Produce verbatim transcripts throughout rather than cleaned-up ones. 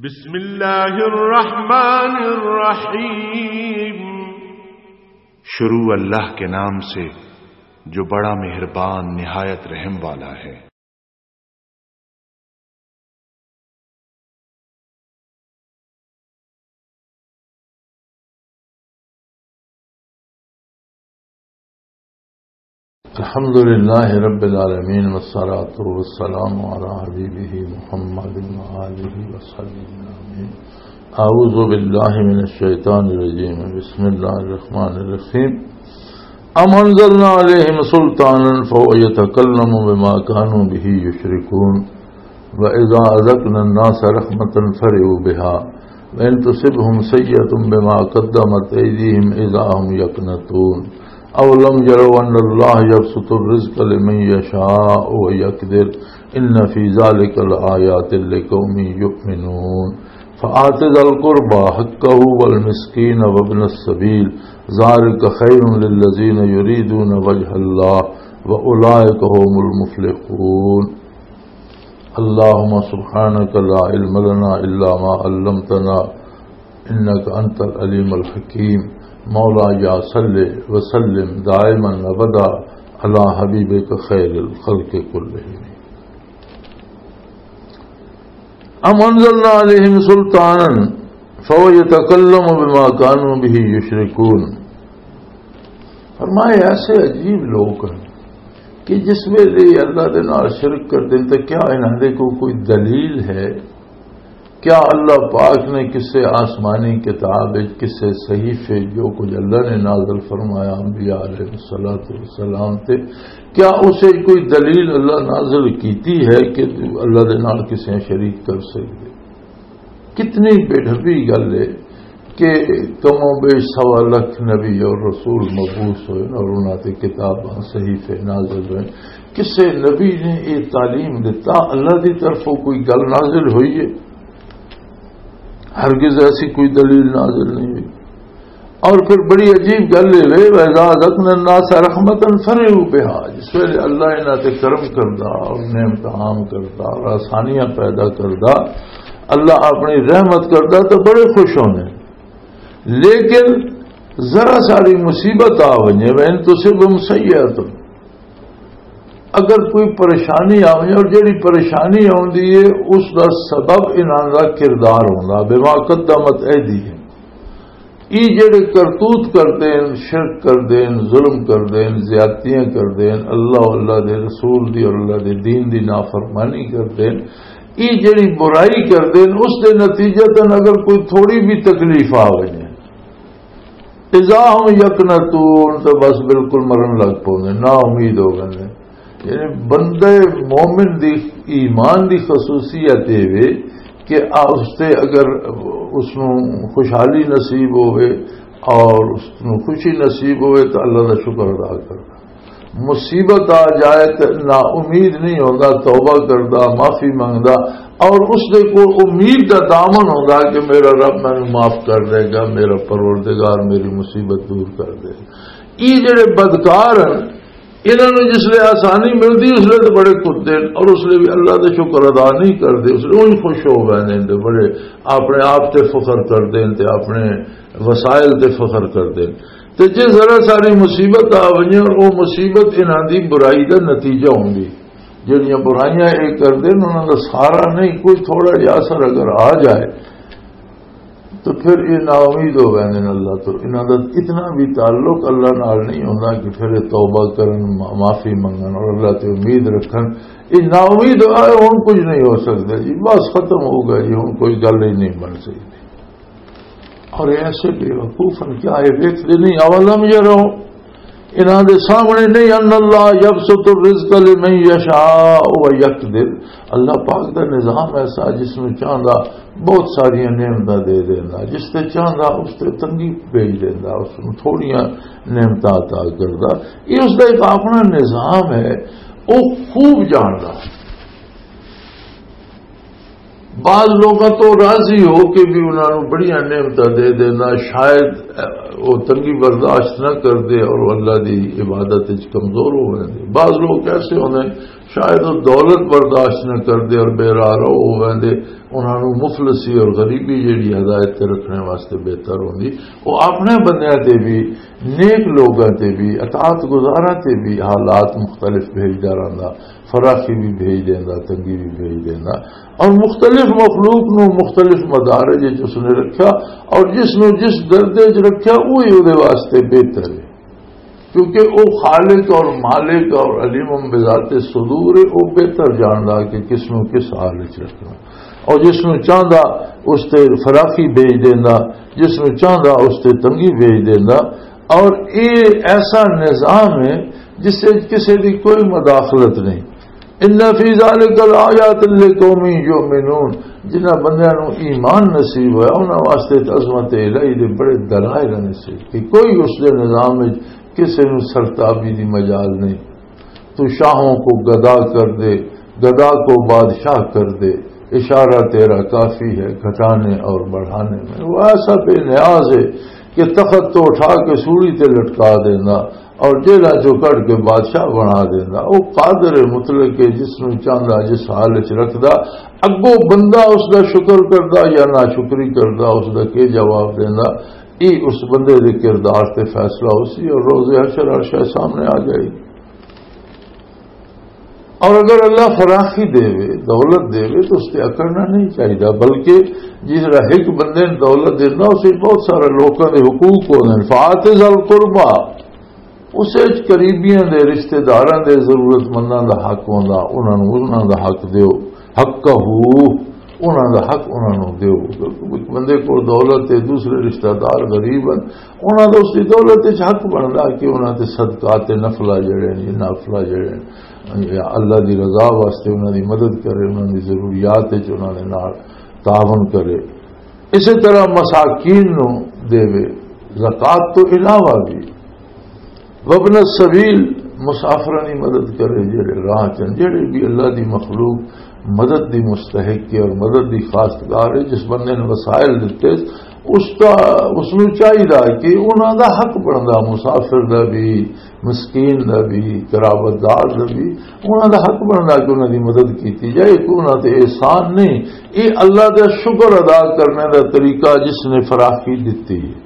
بسم اللہ الرحمن الرحیم۔ شروع اللہ کے نام سے جو بڑا مہربان نہایت رحم والا ہے۔ الحمد لله رب العالمين، والصلاة والسلام على حبيبه محمد وآله وصحبه آمين. أعوذ بالله من الشيطان الرجيم. بسم الله الرحمن الرحيم. أم أنزلنا عليهم سلطانا فهو يتكلم بما كانوا به يشركون. وإذا أذقنا الناس رحمة فرحوا بها وإن تصبهم سيئة بما قدمت أيديهم إذا هم يقنطون. أولم يروا أن الله يبسط الرزق لمن يشاء ويقدر إن في ذلك لآيات لقوم يؤمنون. فآت ذا القربى حقه والمسكين وابن السبيل ذلك خير للذين يريدون وجه الله وأولئك هم المفلحون. اللهم سبحانك لا علم لنا إلا ما علمتنا إنك أنت العليم الحكيم. مولاي صل وسلم دائما أبدا على حبيبك خير الخلق كلهم. أم أنزلنا عليهم سلطانا فهو يتكلم بما كانوا به يشركون. فرمایا، ایسے عجیب لوگ ہیں کہ جس ویلے اللہ دے نال شرک کر دین تے کیا انہاں دے کو کوئی دلیل ہے؟ کیا اللہ پاک نے کسے آسمانی کتاب وچ، کسے صحیفے جو کچھ اللہ نے نازل فرمایا انبیاء علیہ الصلوۃ والسلام تے، کیا اسے کوئی دلیل اللہ نازل کیتی ہے کہ اللہ دے نال کسے شریک کر سکدے؟ کتنی بے ڈھبی گل ہے کہ کم و بیش سوا لکھ نبی اور رسول مبعوث ہوئے اور انہاں تے کتاباں، صحیفے نازل ہوئے۔ کسے نبی نے یہ تعلیم دتا، اللہ دی طرفوں کوئی گل نازل ہوئی ہے؟ ہرگز ایسی کوئی دلیل نازل نہیں ہوئی۔ اور پھر بڑی عجیب گل یہ وے، وَإِذَا أَذَقْنَا النَّاسَ رَحْمَةً فَرِحُوا بِهَا، جس ویلے اللہ انہاں تے کرم کردا اور نعمت عام کردا اور آسانیاں پیدا کردا، اللہ اپنی رحمت کردا تو بڑے خوش ہوندے۔ لیکن ذرا ساری مصیبت آ ونجے، وَإِن تُصِبْهُمْ سَيِّئَةٌ، اگر کوئی پریشانی آوے، اور جڑی پریشانی آوندی ہے، اس دا سبب انہاں دا کردار ہوندا، بما قدمت ایدیہم۔ ای جڑے کرتوت کردے ہیں، شرک کردے ہیں، ظلم کردے ہیں، زیادتیاں کردے ہیں، اللہ، اللہ دے رسول دی اور اللہ دے دین دی نافرمانی کردے ہیں، ای جڑی برائی کردے ہیں، اس دے نتیجتاً اگر کوئی تھوڑی بھی تکلیف آ وجے، اذا ہم یقنطون، تو بس بالکل مرن لگ پوندے، نا امید ہو گئے۔ یعنی بندے مومن دی، ایمان دی خصوصیت یہ وے کہ آ، اس تے اگر اس نو خوشحالی نصیب ہوئے اور اس نو خوشی نصیب ہوئے تو اللہ دا شکر ادا کردا۔ مصیبت آ جائے تو نا امید نہیں ہوندا، توبہ کردا، معافی منگدا، اور اس دے کو امید دا دامن ہوندا کہ میرا رب مینوں معاف کر دے گا، میرا پروردگار میری مصیبت دور کر دے گا۔ یہ جڑے بدکار ہیں، انہاں نوں جس لے آسانی ملدی، اس لے تے بڑے کتے نے، اور اس لے بھی اللہ دا شکر ادا نہیں کردے، اس لے اونج خوش ہو ویندے نے، تے بڑے اپنے آپ تے فخر کردے نے، تے اپنے وسائل تے فخر کردے نے۔ تے جے ذرا ساری مصیبت آ ونجے، اور او مصیبت انہاں دی برائی دا نتیجہ ہوندی، جڑیاں برائیاں اے کردے نے، انہاں دا سارا نہیں، کوئی تھوڑا جہا اثر اگر آ جائے، تو پھر یہ نا امید ہو گئے ہیں اللہ تو۔ انہاں دا اتنا بھی تعلق اللہ نال نہیں ہوندا کہ پھر یہ توبہ کرن، ما-، معافی منگن اور اللہ تے امید رکھن۔ یہ نا امید ہو، "آئے، ہن کچھ نہیں ہو سکدا جی، بس ختم ہو گیا جی، ہن کوئی گل ہی نہیں بن سکدی۔" اور ایسے بے وقوف ہیں، کیا یہ ویکھدے نہیں؟ اولم یرو، انہاں دے سامنے نہیں، ان اللہ یبسط الرزق لمن یشاء و یقدر، اللہ پاک دا نظام ایسا جس نوں چاہندا بہت ساریاں نعمتاں دے دیندا، جس تے چاہندا اس تے تنگی بھیج دیندا، اس نوں تھوڑیاں نعمتاں عطا کردا۔ یہ اس دا ایک اپنا نظام ہے، وہ خوب جاندا۔ بعض لوگاں تو راضی ہو کے بھی انہاں نوں بڑیاں نعمتاں دے دینا، شاید، اہ، وہ تنگی برداشت نہ کر دے اور وہ اللہ دی عبادت وچ کمزور ہو ویندے۔ بعض لوگ ایسے ہوندے ہیں، شاید وہ دولت برداشت نہ کردے اور بے راہ رو ہو ویندے، انہاں نوں مفلسی اور غریبی جیڑی ہدایت تے رکھنے واسطے بہتر ہوندی۔ وہ اپنے بندیاں تے بھی، نیک لوگاں تے بھی، اطاعت گزاراں تے بھی حالات مختلف بھیجدا رہندا، فراخی بھی بھیج دیندا، تنگی بھی بھیج دیندا، اور مختلف مخلوق نوں مختلف مدارج وچ اس نے رکھیا، اور جس نوں جس درجے وچ رکھیا، وہی اودے واسطے بہتر ہے۔ کیونکہ او خالق اور مالک اور علیم بذات صدور ہے، او بہتر جاندا کہ کس نوں کس حال وچ رکھنا۔ اور جس نوں چاہندا اس تے فراخی بھیج دیندا، جس نوں چاہندا اس تے تنگی بھیج دیندا۔ اور اے ایسا نظام ہے جس وچ کسے دی کوئی مداخلت نہیں۔ ان فی ذلک لآیات لقوم یؤمنون، جنہاں بندیاں نوں ایمان نصیب ہویا، انہاں واسطے تے عظمت الہی دے بڑے دلائل نے سی کہ کوئی اس دے نظام وچ کسے نوں سرتابی دی مجال نہیں۔ تو شاہوں کو گدا کر دے، گدا کو بادشاہ کر دے، اشارہ تیرا کافی ہے گھٹانے اور بڑھانے میں۔ وہ ایسا بے نیاز ہے کہ تخت تو اٹھا کے سولی تے لٹکا دینا اور جیلاں چوں کڈ کے بادشاہ بنا دیندا۔ او قادر مطلق ہے، جس نوں چاہندا جس حال وچ رکھدا۔ اگوں بندہ اس دا شکر کردا یا ناشکری کردا، اس دا کی جواب دیندا، یہ اس بندے دے کردار تے فیصلہ ہو سی اور روز حشر ہر شے سامنے آ جائے گی۔ اور اگر اللہ فراخی دے وے، دولت دے وے، تو اس تے اکڑنا نہیں چاہیے، بلکہ جس طرح ایک بندے نے دولت دینا، اس وچ بہت سارے لوکاں دے حقوق ہوندے نے۔ فآت ذا القربی، اس وچ قریبیاں دے، رشتہ داراں دے، ضرورت منداں دا حق ہوندا، انہاں نوں انہاں دا حق دیو۔ حقہ، انہاں دا حق انہاں نوں دیو۔ بندے کول دولت تے دوسرے رشتہ دار غریب ہن، انہاں دا اس دی دولت وچ حق بندا کہ انہاں تے صدقات نفلہ جڑے نے، نافلہ جڑے نے، یا اللہ دی رضا واسطے انہاں دی مدد کرے، انہاں دی ضروریات وچ انہاں دے نال تعاون کرے۔ اسی طرح مساکین نوں دیوے، زکوٰۃ تو علاوہ بھی۔ وابن السبیل، مسافراں دی مدد کرے، جڑے راہ چن، جڑے بھی اللہ دی مخلوق مدد دی مستحق ہے اور مدد دی خواستگار ہے، جس بندے نے وسائل دتے، اس دا، اس نوں چاہیدا کہ انہاں دا حق بندا، مسافر دا بھی، مسکین دا بھی، قرابت دار دا بھی، انہاں دا حق بندا کہ انہاں دی مدد کیتی جائے۔ کہ انہاں تے احسان نہیں، یہ اللہ دا شکر ادا کرنے دا طریقہ جس نے فراخی دتی ہے۔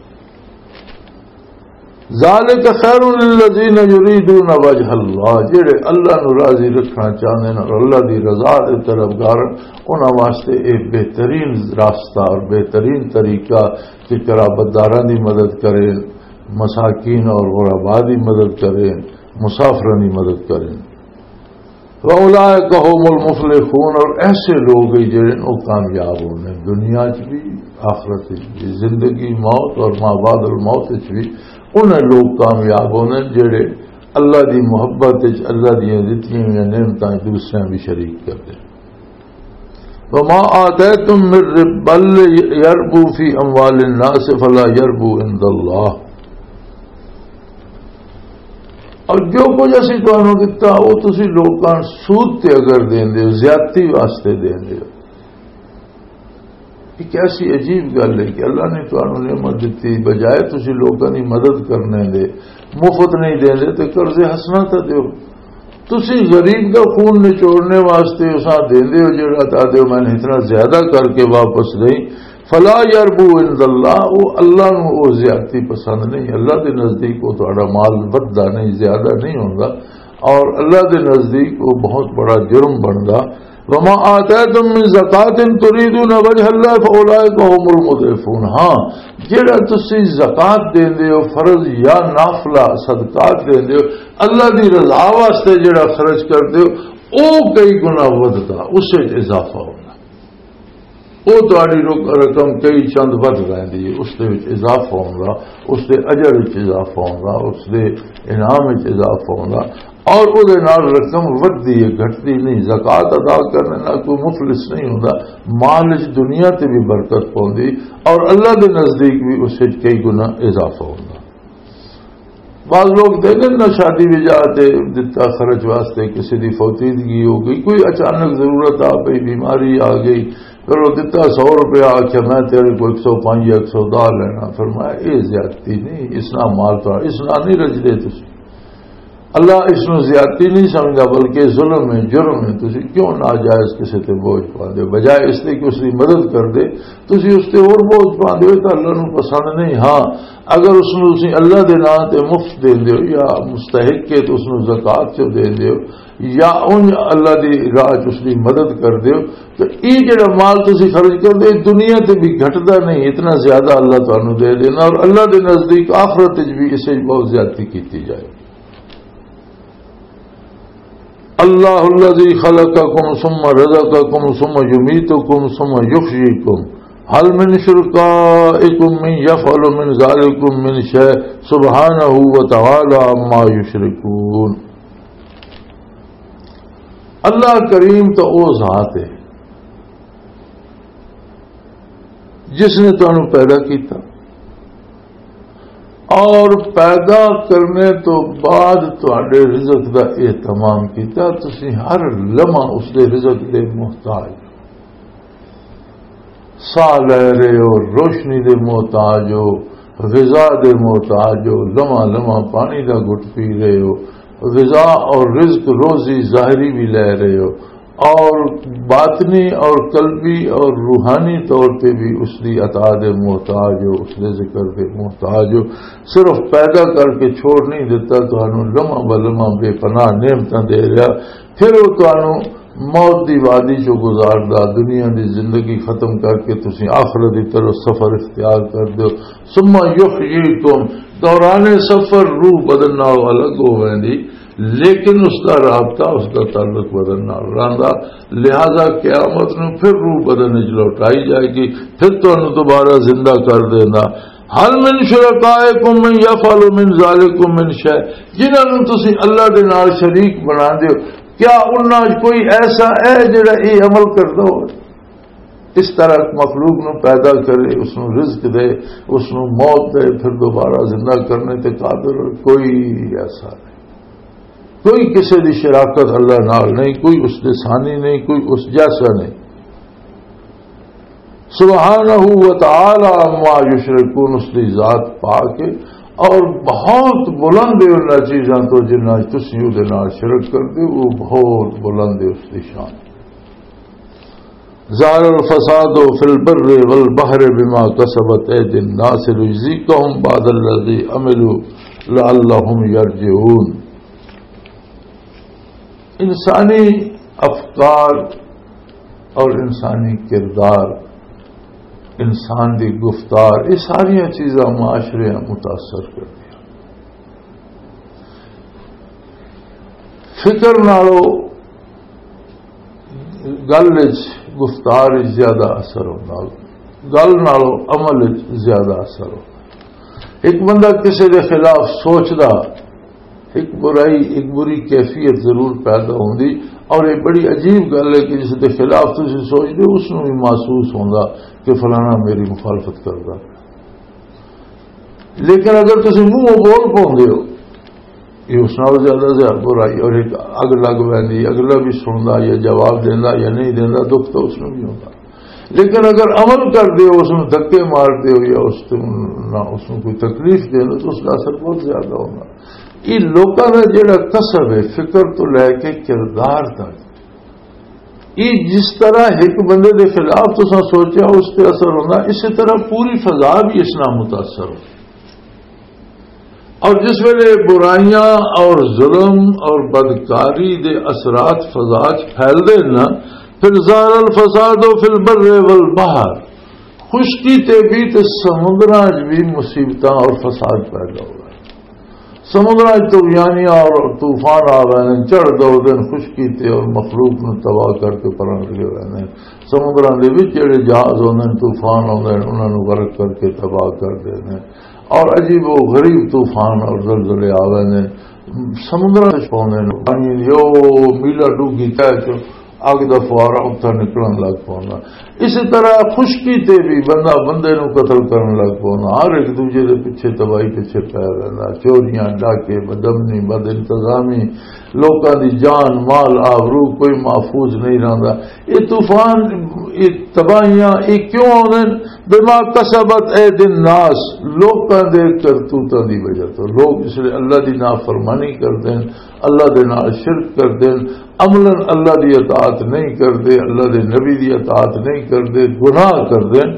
ذالک خیر للذین یریدون وجہ اللہ، جڑے اللہ نو راضی رکھنا چاہندے نے اور اللہ دی رضا دے طلبگار، انہاں واسطے اے بہترین راستہ اور بہترین طریقہ کہ قرابت داراں دی مدد کرے، مساکین اور غربا دی مدد کرے، مسافراں دی مدد کرے۔ وَأُولَٰئِكَ هُمُ الْمُفْلِحُونَ، اور ایسے لوگ ہی جڑے نے وہ کامیاب ہونے دنیا چ بھی، آخرت چ بھی، زندگی، موت اور ما بعد الموت چ بھی۔ انہیں لوگ کامیاب ہونے جڑے اللہ دی محبت چ، اللہ دیاں دتیاں ہوئیاں نعمتاں چ دوسریاں بھی شریک کردے۔ وَمَا آتَيْتُم مِّن رِّبًّا لِّيَرْبُوا فِي أَمْوَالِ النَّاسِ فَلَا يَرْبُو عِندَ اللَّهِ۔ اور جو کچھ اسی تانوں دتا، وہ تسی لوکاں سود تے اگر دیندے ہو، زیادتی واسطے دیندے ہو۔ ایک ایسی عجیب گل ہے کہ اللہ نے تانوں نعمت دتی، بجائے تسی لوکاں دی مدد کرنے دے، مفت نہیں دیندے تے قرض حسنہ تے دیو۔ تسی غریب دا خون نچوڑنے واسطے اساں دیندے ہو، جڑا تا دیو میں اتنا زیادہ کر کے واپس دیں۔ فلا یربو عند اللہ، وہ اللہ نو وہ زیادتی پسند نہیں۔ اللہ دے نزدیک وہ تہاڈا مال ودھدا نہیں، زیادہ نہیں ہوندا، اور اللہ دے نزدیک وہ بہت بڑا جرم بندا۔ وما آتیتم من زکاة تریدون وجہ اللہ فاولئک هم المضعفون۔ ہاں، جڑا تسی زکات دیندے ہو، فرض یا نافلہ صدقات دیندے ہو، اللہ دی رضا واسطے جڑا خرچ کردے ہو، او کئی گنا ودھدا، اس وچ اضافہ ہوندا۔ او تہاڈی رق-، رقم کئی چند ودھ ویندی ہے، اس دے وچ اضافہ ہوندا، اس دے اجر وچ اضافہ ہوندا، اس دے انعام وچ اضافہ ہوندا، اور او دے نال رقم ودھدی ہے، گھٹدی نہیں۔ زکوٰۃ ادا کرنے نال کوئی مفلس نہیں ہوندا، مال وچ دنیا تے بھی برکت پوندی اور اللہ دے نزدیک بھی اس وچ کئی گنا اضافہ ہوندا۔ بعض لوگ دے دن نہ شادی وجہ تے دتا خرچ واسطے، کسی دی فوتیدگی ہو گئی، کوئی اچانک ضرورت آ پئی، بیماری آ گئی، پھر وہ دتا سو روپیہ، آخیا میں تیرے کو ایک سو پانچ یا ایک سو دہ لینا۔ فرمایا، اے زیادتی نہیں، اس نہ مال تو، اس نہ نہیں رجدے تسی۔ اللہ اس نوں زیادتی نہیں سمجھدا، بلکہ ظلم ہے، جرم ہے۔ تسی کیوں ناجائز کسے تے بوجھ پاندے ہو؟ بجائے اس دے کہ اس دی مدد کر دے، تسی اس تے ہور بوجھ پاندے ہو۔ یہ تاں اللہ نوں پسند نہیں۔ ہاں، اگر اس نوں تسی اللہ دے نام تے مفت دیندے ہو یا مستحق ہے تے اس نوں زکوٰۃ چوں دیندے ہو یا اونج اللہ دی راہ چ اس دی مدد کردے ہو، تے یہ جڑا مال تسی خرچ کردے ہو، دنیا تے بھی گھٹدا نہیں، اتنا زیادہ اللہ تانوں دے دینا، اور اللہ دے نزدیک آخرت وچ بھی اسے بہت زیادتی کیتی جائے۔ اللہ الذی خلقکم ثم رزقکم ثم یمیتکم ثم یحییکم، هل من شرکائکم من یفعل من ذالکم من شیء، سبحانہ وتعالی عما یشرکون۔ اللہ کریم تو او ذات ہے جس نے تانوں پیدا کیتا اور پیدا کرنے تو بعد تہاڈے رزق دا اہتمام کیتا۔ تسی ہر لمحہ اس دے رزق دے محتاج ہو۔ ساہ لے رہے ہو، روشنی دے محتاج ہو، غذا دے محتاج ہو، لمحہ لمحہ پانی دا گھٹ پی رہے ہو، غذا اور رزق روزی ظاہری بھی لے رہے ہو، اور باطنی اور قلبی اور روحانی طور پہ بھی اس دی عطا دے محتاج ہو، اس دے ذکر دے محتاج ہو۔ صرف پیدا کر کے چھوڑ نہیں دیتا، تانوں لمحہ بہ لمحہ بے پناہ نعمتاں دے رہا۔ پھر وہ تانوں موت دی وادی چوں گزاردا، دنیا دی زندگی ختم کر کے تسی آخرت دی طرف سفر اختیار کر دیو۔ ثم یحییکم، دوران سفر روح بدن نال الگ ہو ویندی، لیکن اس دا رابطہ، اس دا تعلق بدن نال رہندا۔ لہذا قیامت نوں پھر روح بدن وچ لوٹائی جائے گی، پھر تانوں دوبارہ زندہ کر دینا۔ هل من شرکائکم من یفعل من ذالکم من شیء، جنہاں نوں تسی اللہ دے نال شریک بنا دیو، کیا انہاں وچ کوئی ایسا ہے جڑا یہ عمل کردا ہو؟ اس طرح مخلوق نوں پیدا کرے، اس نوں رزق دے، اس نوں موت دے، پھر دوبارہ زندہ کرنے تے قادر کوئی ایسا نہیں۔ کوئی کسے دی شراکت اللہ نال نہیں، کوئی اس دے ثانی نہیں، کوئی اس جیسا نہیں۔ سبحانہ و تعالی عما یشرکون، اس دی ذات پاک ہے اور بہت بلند ہے انہاں چیزاں تو جنہاں تسی او دے نال شرک کردے ہو، وہ بہت بلند ہے اس دی شان۔ ظہر الفساد فی البر والبحر بما کسبت ایدی الناس لیذیقہم بعض الذی عملوا لعلہم یرجعون۔ انسانی افکار اور انسانی کردار، انسان دی گفتار، یہ ساریاں چیزاں معاشرے متاثر کردیاں۔ فکر نالو گل وچ، گفتار وچ زیادہ اثر ہوندا، گل نالو عمل وچ زیادہ اثر ہوندا۔ ایک بندہ کسی دے خلاف سوچدا، ایک برائی، ایک بری کیفیت ضرور پیدا ہوندی، اور یہ بڑی عجیب گل ہے کہ جس دے خلاف تسی سوچدے ہو، اس نوں بھی محسوس ہوندا کہ فلانا میری مخالفت کردا۔ لیکن اگر تسی منہ بول پاؤندے ہو، یہ اس نال زیادہ زیادہ برائی، اور ایک اگ لگ ویندی، اگلا بھی سندا یا جواب دیندا یا نہیں دیندا، دکھ تو اس نوں بھی ہوندا۔ لیکن اگر عمل کردے ہو، اس نوں دھکے ماردے ہو یا اس نوں، نہ اس نوں کوئی تکلیف دیندے، تو اس دا اثر بہت زیادہ ہوندا۔ یہ لوکاں دا جڑا کسب ہے، فکر تو لے کے کردار تک، یہ جس طرح ایک بندے دے خلاف تساں سوچیا، اس تے اثر ہوندا، اسی طرح پوری فضا بھی اس نال متاثر ہو۔ اور جس ویلے برائیاں اور ظلم اور بدکاری دے اثرات فضا چ پھیلدے نا، پھر ظہر الفساد فی البر والبحر، خشکی تے بھی تے سمندراں چ بھی مصیبتاں اور فساد پیدا ہو رہا ہے۔ سمندراں چ طغیانیاں اور طوفان آ رہے ہیں، چڑھ دو دن خشکی تے اور مخلوق نوں تباہ کر کے پران لگے ہوئے ہیں۔ سمندراں دے وچ جڑے جہاز ہوندے ہیں، طوفان ہوندے ہیں، انہاں نوں غرق کر کے تباہ کر دیندے ہیں۔ اور عجیب و غریب طوفان اور زلزلے آ ویندے نے۔ سمندراں وچ پاوندے نے، پانی دی او میلا ڈوگھی تہہ چ، اگ دا فوارا اتھا نکلن لگ پوندا۔ اسی طرح خشکی تے بھی بندہ بندے نوں قتل کرن لگ پوندا، ہر ایک دوجے دے پیچھے، تباہی پیچھے پے رہندا، چوریاں، ڈاکے، بدامنی، بد انتظامی، لوکاں دی جان، مال، آبرو کوئی محفوظ نہیں رہندا۔ یہ طوفان، یہ تباہیاں، یہ کیوں آوندے؟ بما کسبت اید الناس، لوکاں دے کرتوتاں دی وجہ تو۔ لوگ اس لیے اللہ دی نافرمانی کردے ہیں، اللہ دے نال شرک کردے ہیں، عملاً اللہ دی اطاعت نہیں کردے، اللہ دے نبی دی اطاعت نہیں کردے، گناہ کردے ہیں۔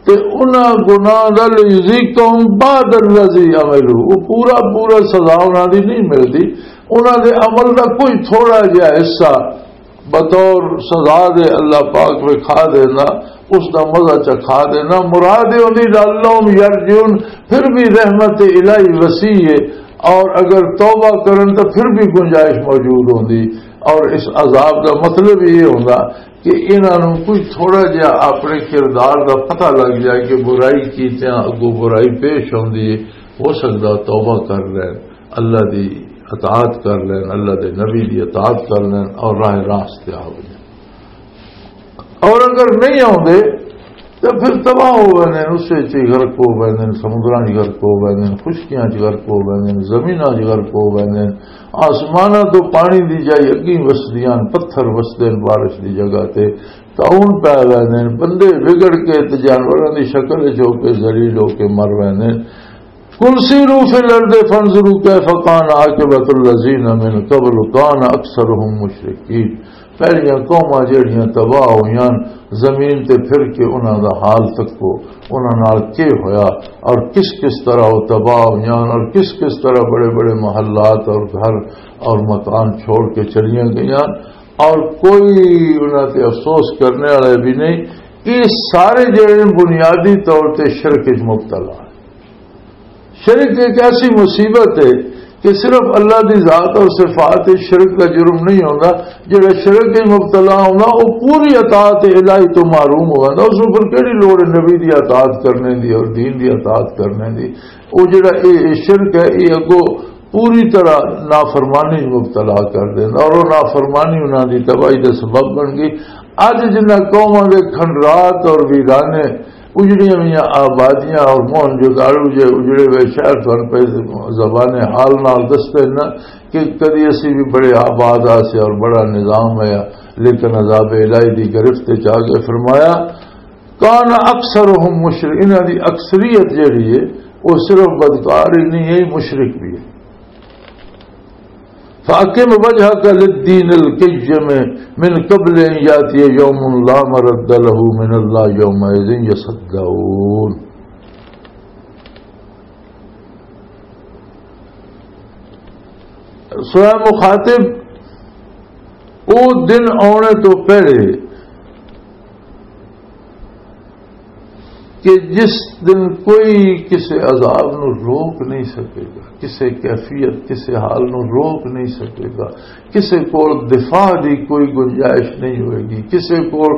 تے انہاں گناہ دا لیذیقہم بعض الذی عملوا، وہ پورا پورا سزا انہاں دی نہیں ملدی۔ انہاں دے عمل دا کوئی تھوڑا جہا حصہ بطور سزا دے اللہ پاک وکھا دینا، اس دا مزہ چکھا دینا۔ مراد یہ ہوندی لعلہم یرجعون، پھر بھی رحمت الہی وسیع ہے، اور اگر توبہ کرن تو پھر بھی گنجائش موجود ہوندی۔ اور اس عذاب دا مطلب یہ ہوندا کہ انہاں نوں کوئی تھوڑا جہا اپنے کردار دا پتہ لگ جائے کہ برائی کیتیاں اگوں برائی پیش ہوندی ہے، ہو سکدا توبہ کر لین، اللہ دی اطاعت کر لین، اللہ دے نبی دی اطاعت کر لین اور راہ راست تے آ وجن۔ اور اگر نہیں آوندے تو پھر تباہ ہو ویندے نے، اس وچ ہی غرق ہو ویندے نے، سمندراں 'چ غرق ہو ویندے نے، خشکیاں 'چ غرق ہو ویندے نے، زمیناں 'چ غرق ہو ویندے نے۔ آسماناں تو پانی دی جائی اگیں وسدیاں، پتھر وسدے نے بارش دی جگہ تے، طاعون پے ویندے نے، بندے وگڑ کے تے جانوراں دی شکل وچ ہو کے ذلیل ہو کے مر ویندے نے۔ قل سیروا فی الارض فانظروا کیف کان عاقبۃ الذین من قبل کان اکثرهم مشرکین۔ پہلیاں قوماں جہڑیاں تباہ ہوئیاں، زمین تے پھر کے انہاں دا حال تکو، انہاں نال کی ہویا اور کس کس طرح وہ تباہ ہوئیاں اور کس کس طرح بڑے بڑے محلات اور گھر اور مکان چھوڑ کے چلیاں گئیاں، اور کوئی انہاں تے افسوس کرنے والا بھی نہیں۔ یہ سارے جڑے بنیادی طور تے شرک وچ مبتلا ہیں۔ شرک ایک ایسی مصیبت ہے کہ صرف اللہ دی ذات اور صفات وچ شرک دا جرم نہیں ہوندا۔ جڑا شرک وچ مبتلا ہوندا، وہ پوری اطاعت الہی تو محروم ہو جاندا۔ اس نوں پھر کیڑی لوڑ ہے نبی دی اطاعت کرنے دی اور دین دی اطاعت کرنے دی؟ وہ جڑا اے، اے شرک ہے، یہ اگوں پوری طرح نافرمانی وچ مبتلا کر دیندا اور وہ نافرمانی انہاں دی تباہی دا سبب بن گئی۔ اج جنہاں قوماں دے کھنڈرات اور ویرانے، اجڑیاں ہوئیاں آبادیاں اور موہن جوداڑو جے اجڑے ہوئے شہر تہن پہ زبان حال نال دستے نا کہ کدی اسی بھی بڑے آباد آسے اور بڑا نظام ہے، لیکن عذاب الہی دی گرفت وچ آ گئے۔ فرمایا، کان اکثرهم مشرک، انہاں دی اکثریت جڑی ہے، وہ صرف بدکار ہی نہیں ہے، مشرک بھی ہے۔ فاقم وجهك للدين القيم من قبل ان ياتي يوم لا مرد له من الله يومئذ يصدعون۔ سورہ مخاطب، او دن آنے تو پہلے کہ جس دن کوئی کسے عذاب نو روک نہیں سکے گا، کسے کیفیت، کسے حال نو روک نہیں سکے گا، کسے کول دفاع دی کوئی گنجائش نہیں ہوئے گی، کسے کول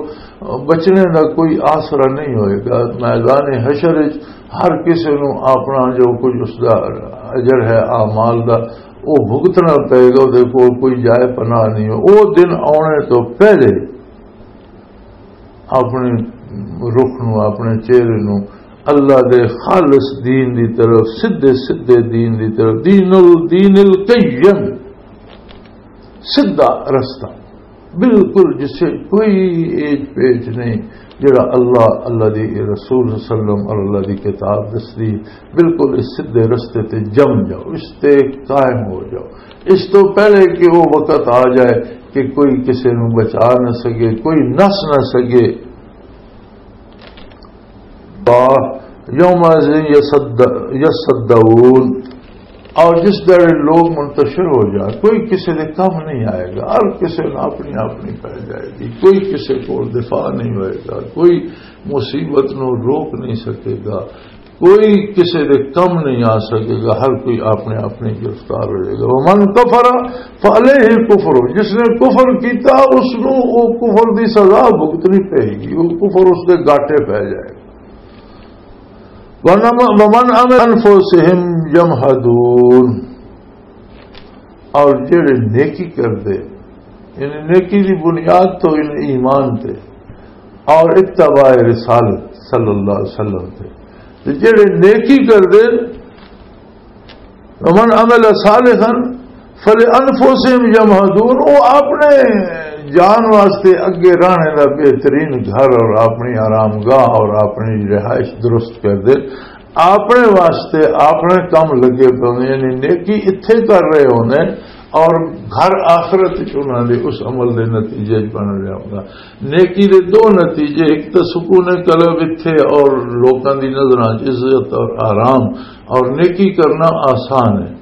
بچنے دا کوئی آسرا نہیں ہوئے گا۔ میدان حشر وچ ہر کسے نو اپنا جو کچھ اس دا اجر ہے اعمال دا، وہ بھگتنا پے گا، وہ کول کوئی جائے پناہ نہیں ہو۔ وہ دن آنے تو پہلے اپنے رخ نو، اپنے چہرے نو اللہ دے خالص دین دی طرف، سدھے سدھے دین دی طرف، دین ال-، دین القیم، سدھا رستہ، بالکل جسے کوئی ایج پیچ نہیں، جڑا اللہ، اللہ دی رسول صلی اللہ علیہ وسلم اور اللہ دی کتاب دسدی، بالکل اس سدھے رستے تے جم جاؤ، اس تے قائم ہو جاؤ۔ اس تو پہلے کہ وہ وقت آ جائے کہ کوئی کسے نو بچا نہ سکے، کوئی نس نہ سکے۔ یوم یصدعون، اور جس دڑے لوگ منتشر ہو جائے، کوئی کسے دے کم نہیں آئے گا، ہر کسے نو اپنی اپنی پہ جائے گی، کوئی کسے کو دفاع نہیں ہوئے گا، کوئی مصیبت نو روک نہیں سکے گا، کوئی کسے دے کم نہیں آ سکے گا، ہر کوئی اپنے اپنے گرفتار ہو جائے گا۔ ومن کفر فعلیہ الکفر، جس نے کفر کیتا، اس نو او کفر دی سزا بھگتنی پے گی، او کفر اس دے گاٹے پے جائے گا۔ ونم-، ومن عمل انفسہم یمہدون، اور جڑے نیکی کردے، یعنی نیکی دی بنیاد تو ان ایمان تے اور اتباع رسالت صلی اللہ علیہ وسلم تے۔ تے جڑے نیکی کردے، ومن عمل صالحا فلانفسهم یمہدون، وہ اپنے جان واسطے اگے رہنے دا بہترین گھر اور اپنی آرام گاہ اور اپنی رہائش درست کر دے، اپنے واسطے اپنے کم لگے پے ہوندے، یعنی نیکی اتھے کر رہے ہوندے اور گھر آخرت وچ انہاں دے اس عمل دے نتیجے وچ بن رہا ہوندا۔ نیکی دے دو نتیجے، ایک تو سکون قلب اتھے اور لوکاں دی نظراں وچ عزت اور آرام، اور نیکی کرنا آسان ہے،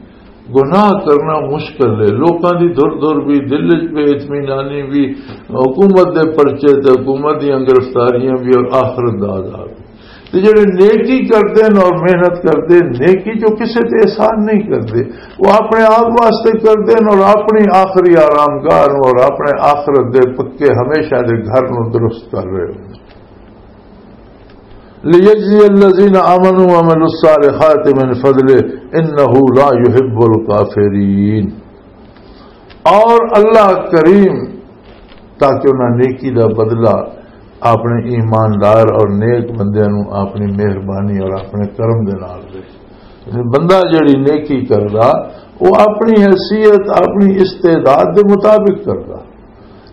گناہ کرنا مشکل ہے۔ لوکاں دی دھر دھر بھی، دل وچ بے اطمینانی بھی، حکومت دے پرچے تے حکومت دیاں گرفتاریاں بھی اور آخرت دا عذاب۔ تے جڑے نیکی کردے نے اور محنت کردے، نیکی جو کسے تے احسان نہیں کردے، وہ اپنے آپ واسطے کردے نے اور اپنی آخری آرام گاہ نوں اور اپنے آخرت دے پکے ہمیشہ دے گھر نوں درست کر رہے ہو۔ لِيَجْزِيَ الَّذِينَ آمَنُوا وَعَمِلُوا الصَّالِحَاتِ مِنْ فَضْلِهِ إِنَّهُ لَا يُحِبُّ الْكَافِرِينَ۔ اور اللہ کریم تاکہ انہاں نیکی دا بدلہ اپنے ایماندار اور نیک بندیاں نوں اپنی مہربانی اور اپنے کرم دے نال دے۔ یعنی بندہ جڑی نیکی کردا، وہ اپنی حیثیت، اپنی استعداد دے مطابق کردا،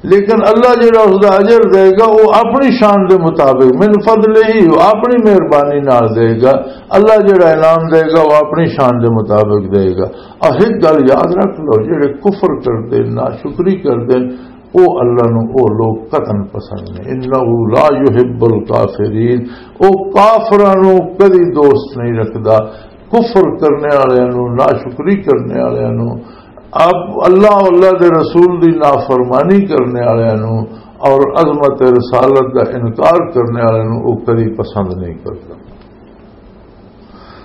لیکن اللہ جڑا اس دا اجر دے گا، وہ اپنی شان دے مطابق، من فضلہ، وہ اپنی مہربانی نال دے گا۔ اللہ جڑا انعام دے گا، وہ اپنی شان دے مطابق دے گا۔ اور ایک گل یاد رکھ لو، جڑے کفر کردے، ناشکری کردے، او اللہ نو او لوگ قطعاً پسند نہیں۔ انہ لا یحب الکافرین، او کافراں نو کدی دوست نہیں رکھدا۔ کفر کرنے والے نو، ناشکری کرنے والے نو، اب اللہ، اللہ دے رسول دی نافرمانی کرنے والے نو اور عظمت رسالت دا انکار کرنے والے نو او کدی پسند نہیں کردا۔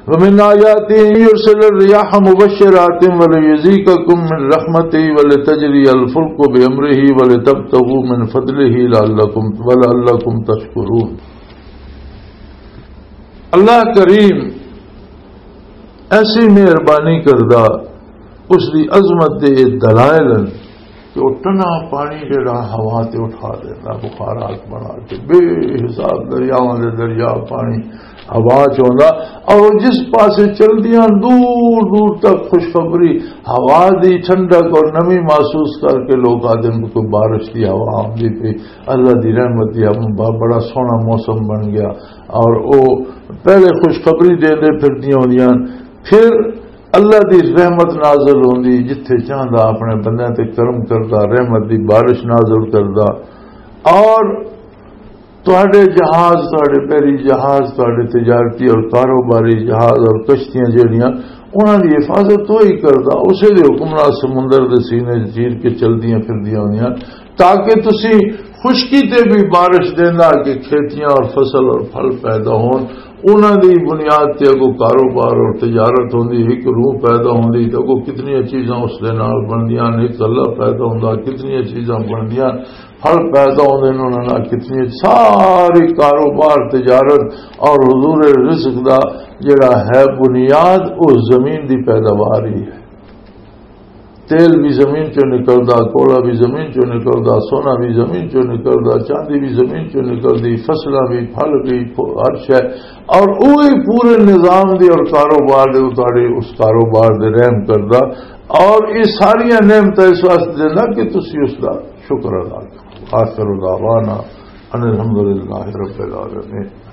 ومن آياته أن يرسل الرياح مبشرات وليذيقكم من رحمته ولتجري الفلك بأمره ولتبتغوا من فضله لعلكم، ولعلكم تشكرون۔ اللہ کریم ایسی مہربانی کردا، اس دی عظمت دے دلائل ہن۔ کہ وہ ٹنا پانی جڑا ہوا تے اٹھا دینا، بخارات بنا کے بے حساب دریاواں دے دریا پانی ہوا چ ہوندا، اور وہ جس پاسے چلدیاں دور دور تک خوشخبری، ہوا دی ٹھنڈک اور نمی محسوس کر کے لوگ آدھے کہ کوئی بارش دی ہوا آمدی پئی، اللہ دی رحمت دی ہوا، ب-، بڑا سوہنا موسم بن گیا۔ اور وہ پہلے خوشخبری دے دے پھردیاں ہوندیاں، پھر اللہ دی رحمت نازل ہوندی، جتھے چاہندا اپنے بندیاں تے کرم کردا، رحمت دی بارش نازل کردا۔ اور تہاڈے جہاز، تہاڈے بحری جہاز، تہاڈے تجارتی اور کاروباری جہاز اور کشتیاں جڑیاں، انہاں دی حفاظت وہی کردا، اسے دے حکم نال سمندر دے سینے چیر کے چلدیاں پھردیاں ہوندیاں۔ تاکہ تسی خشکی تے بھی بارش دیندا کہ کھیتیاں اور فصل اور پھل پیدا ہون، انہاں دی بنیاد تے اگوں کاروبار اور تجارت ہوندی، ایک روح پیدا ہوندی تے اگوں کتنی چیزاں اس دے نال بندیاں نے، ایک اللہ پیدا ہوندا، کتنی چیزاں بندیاں، پھل پیدا ہوندے نے، انہاں نال کتنی ساری کاروبار، تجارت اور حضور رزق دا جڑا ہے بنیاد، او زمین دی پیداوار ہی ہے۔ تیل بھی زمین چوں نکلدا، کولا بھی زمین چوں نکلدا، سونا بھی زمین چوں نکلدا، چاندی بھی زمین چوں نکلدی، فصلاں بھی، پھل بھی، پھو-، ہر شے۔ اور وہی پورے نظام دی اور کاروبار دے اتارے، اس کاروبار دے رحم کردا۔ اور یہ ساریاں نعمتاں اس واسطے دیندا کہ تسی اس دا شکر ادا کرو۔ آخر دعوانا ان الحمدللہ رب العالمین۔